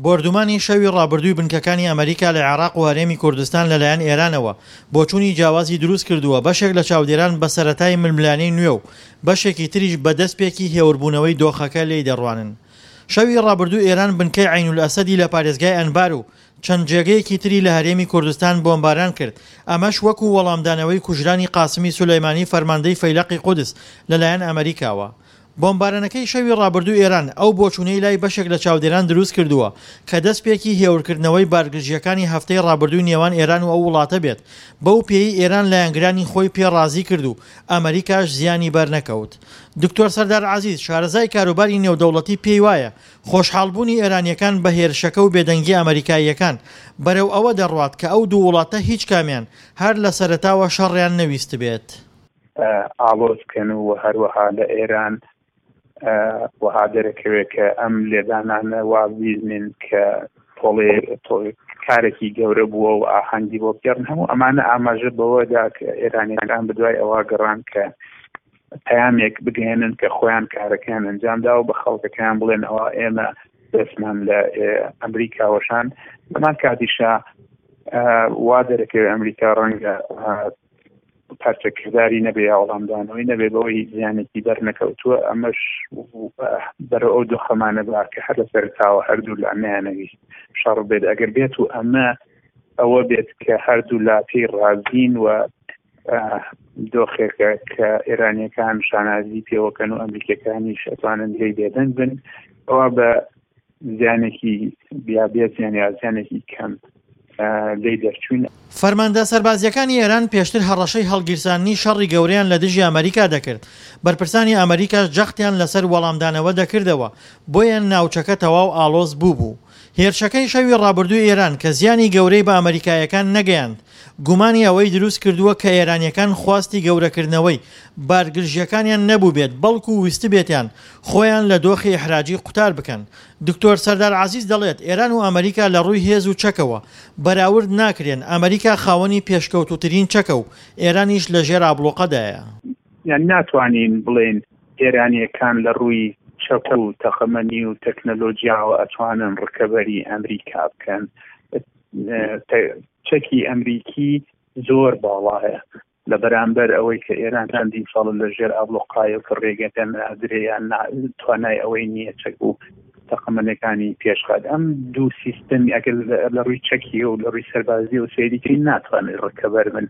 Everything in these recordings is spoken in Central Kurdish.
بۆردومانی شەوی ڕابردووی بنکەکانی ئەمریکا لە عێراق و هەرێمی کوردستان لەلایەن ئێرانەوە بۆچوونی جیاوازی دروست کردووە، بەشێک لە چاودێران بە سەرەتای ململانێی نوێ و بەشێکی تریش بە دەستپێکی هێوربوونەوەی دۆخەکە لێی دەڕوانن. شەوی ڕابردوو ئێران بنکەی عەینولئەسەدی لە پارێزگای ئەنبار و چەند جێگەیەکی تری لە هەرێمی کوردستان بۆمباران کرد، ئەمەش وەکو وەڵامدانەوەی کوژرانی قاسمی سولەیمانی فەرماندەی فەیلەقی قودس لەلایەن ئەمریکاوە. بۆمبارانەکەی شەوی ڕابردوو ئێران ئەو بۆچوونەی لای بەشێک لە چاودێران دروست کردووە کە دەستپێکی هێورکردنەوەی بارگرژییەکانی هەفتەی ڕابردووی نێوان ئێران و ئەو وڵاتە بێت، بەو پێیەی ئێران لایەنگرانی خۆی پێ ڕازی کرد و ئەمریکاش زیانی بەرنەکەوت. دکتۆر سەردار عەزیز، شارەزای کاروباری نێودەوڵەتی پێی وایە خۆشحاڵبوونی ئێرانییەکان بە هێرشەکە و بێدەنگی ئەمریکاییەکان بەرەو ئەوە دەڕوات کە ئەو دوو وڵاتە هیچ کامیان هەر لە سەرەتاوە شەڕیان نەویستبێت. ئاڵۆز بکەن و هەروەها لە ئێران وەها دەرەکەوێت کە ئەم لێدانانە وا بیزنین کە تۆڵێ کارێکی گەورە بووە و ئاهەنگی بۆ بگێڕن هەموو ئەمانە ئاماژە بەوەدا کە ئێرانیەکان بدوای ئەوە گەڕان کە پەیامێک بگەێنن کە خۆیان کارەکەیان ئەنجامدا و بە خەڵکەکەیان بڵێن ئەوە ئێمە دەستمان لە ئەمریکا وەشان لەمان کاتیشا وا دەرەکەوێت ئەمریکا ڕەنگە پارچەکرداری نەبێ یا وەڵامدانەوەی نەبێ بەوەی زیانێکی بەر نەکەوتووە ئەمەش بەرەو ئەو دۆخەمانە با کە هەر لە سەرتاوە هەردوو لا نەیانەویست شەڕ بێت ئەگەر بێت و ئەمە ئەوە بێت کە هەردوو لا پێی ڕازین و دۆخێکە کە ئێرانیەکان شانازی پێوەکەن و ئەمریکەکانیش ئەتوانن لێی بێدەنگ بن ئەوە بە زیانێکی یا بێ زیان یا زیانێکی کەم لێی دەرچووین. فەرماندە سەربازییەکانی ئێران پێشتر هەڕەشەی هەڵگیرساندنی شەڕی گەورەیان لە دژی ئەمەریکا دەکرد، بەرپرسانی ئەمەریکاش جەختیان لەسەر وەڵامدانەوە دەکردەوە، بۆیە ناوچەکە تەواو ئاڵۆز بووبوو. هێرشەکەی شەوی ڕابردووی ئێران کە زیانی گەورەی بە ئەمەریکاییەکان نەگەیاند، گومانی ئەوەی دروست کردووە کە ئێرانییەکان خواستی گەورەکردنەوەی بارگرژییەکانیان نەبووبێت، بەڵکو ویستبێتیان خۆیان لە دۆخی ئیحراجی قوتار بکەن. دکتۆر سەردار عەزیز دەڵێت، ئێران و ئەمەریکا لە ڕووی هێز و چەکەوە بەراورد ناکرێن، ئەمەریکا خاوەنی پێشکەوتووترین چەکە و ئێرانیش لە ژێر ئابڵوقەدایە. یان ناتوانین بڵێین ئێرانییەکان لە ڕووی چەک و تەقەمەنی و تەکنەلۆجیاوە ئەتوانن ڕکەبەری ئەمریکا بکەن. چەکی ئەمریکی زۆر باڵایە لە بەرامبەر ئەوەی کە ئێران چەندین ساڵە لە ژێر ئابڵۆقایە و کە ڕێگە پێ نادرێ یان توانای ئەوەی نییە چەک و تەقەمەنەکانی پێشخات ئەم دوو سیستەمی ئەگەر لە ڕووی چەکی و لە ڕووی سەربازی و سەیریکەی ناتوانێت ڕکەبەر بن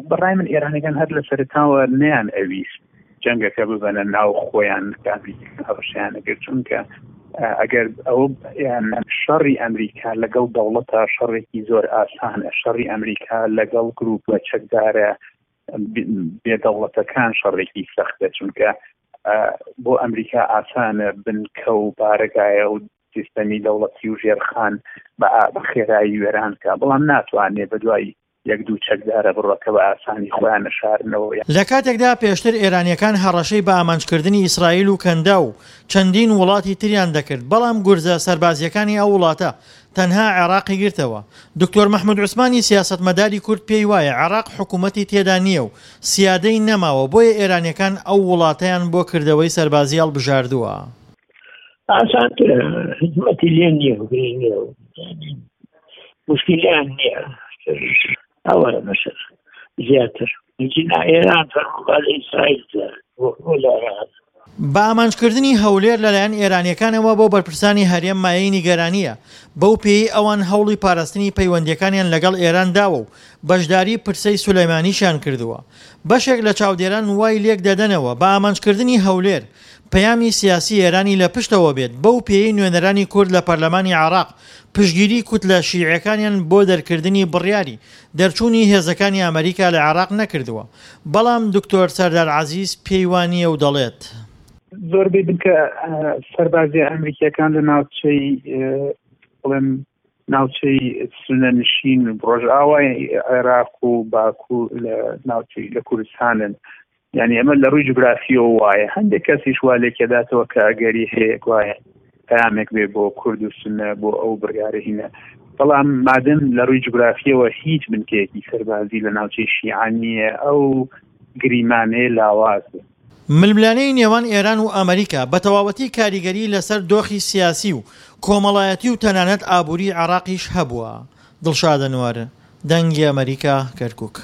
بەڕای من ئێرانەکان هەر لە سەرەتاوە نیان ئەویست جەنگەکە ببەنە ناو خۆیان کە ئەمریکا هەڕەشەیان ئەکرد چونکە ئەگەر ئەوە یان شەڕی ئەمریکا لەگەڵ دەوڵەتە شەڕێکی زۆر ئاسانە شەڕی ئەمریکا لەگەڵ گروپە چەکدارە بێدەوڵەتەکان شەڕێکی سەختە چونکە بۆ ئەمریکا ئاسانە بنکە و بارەگایە و سیستەمی دەوڵەتی و ژێرخان بە خێرایی وێران کە بەڵام ناتوانێت بە دوای یەک دوو چەکدارە بڕە کە بە ئاسانی خۆیان ئەشارنەوە. لە کاتێکدا پێشتر ئێرانییەکان هەڕەشەی بە ئامانجکردنی ئیسرائیل و کەنداو و چەندین وڵاتی تریان دەکرد، بەڵام گورزە سەربازییەکانی ئەو وڵاتە تەنها عێراقی گرتەوە. دکتۆر مەحمود عوسمانی سیاسەتمەداری کورد پێی وایە عێراق حکومەتی تێدا نییە و سیادەی نەماوە، بۆیە ئێرانییەکان ئەو وڵاتەیان بۆ کردەوەی سەربازی هەڵبژاردووە. ئاسانترە، حکومەتی لێ نییە و گرنگ نییە و مشکلیان نییە ئەوە مەسەر زیاتر جنا ئێران فەرمووبا لە ئیسرائیل لە عێراق. بە ئامانجکردنی هەولێر لەلایەن ئێرانییەکانەوە بۆ بەرپرسانی هەرێم مایەی نیگەرانییە، بەو پێیەی ئەوان هەوڵی پاراستنی پەیوەندییەکانیان لەگەڵ ئێران داوە و بەشداری پرسەی سولەیمانیشیان کردووە. بەشێک لە چاودێران وای لێک دەدەنەوە بە ئامانجکردنی هەولێر پەیامی سیاسی ئێرانی لە پشتەوە بێت، بەو پێیەی نوێنەرانی کورد لە پەرلەمانی عێراق پشتگیری کوتلە شیعیەکانیان بۆ دەرکردنی بڕیاری دەرچوونی هێزەکانی ئەمریکا لە عێراق نەکردووە، بەڵام دکتۆر سەردار عەزیز پێی وانییە و دەڵێت. زۆربەی بنکە سەربازیە ئەمریکیەکان لە ناوچەی بڵێم ناوچەی سونە نشین ڕۆژئاوای عێراق و باکوور لە ناوچەی لە کوردستانن یعنی ئەمە لە ڕووی جوگرافیەوە وایە هەندێک کەسیش وا لێکێداتەوە کە ئەگەری هەیە گوایە پامێک بێ بۆ کورد و سنە بۆ ئەو بڕیارە هینە بەڵام مادەم لە ڕووی جوگرافیەوە هیچ بنکەیەکی سەربازی لە ناوچەی شیعان نییە ئەو گریمانەیە لاواز. ململانێی نێوان ئێران و ئەمریکا بە تەواوەتی کاریگەری لەسەر دۆخی سیاسی و کۆمەڵایەتی و تەنانەت ئابووری عێراقیش هەبووە. دڵشاد ئەنوەر، دەنگی ئەمەریکا، کەرکوک.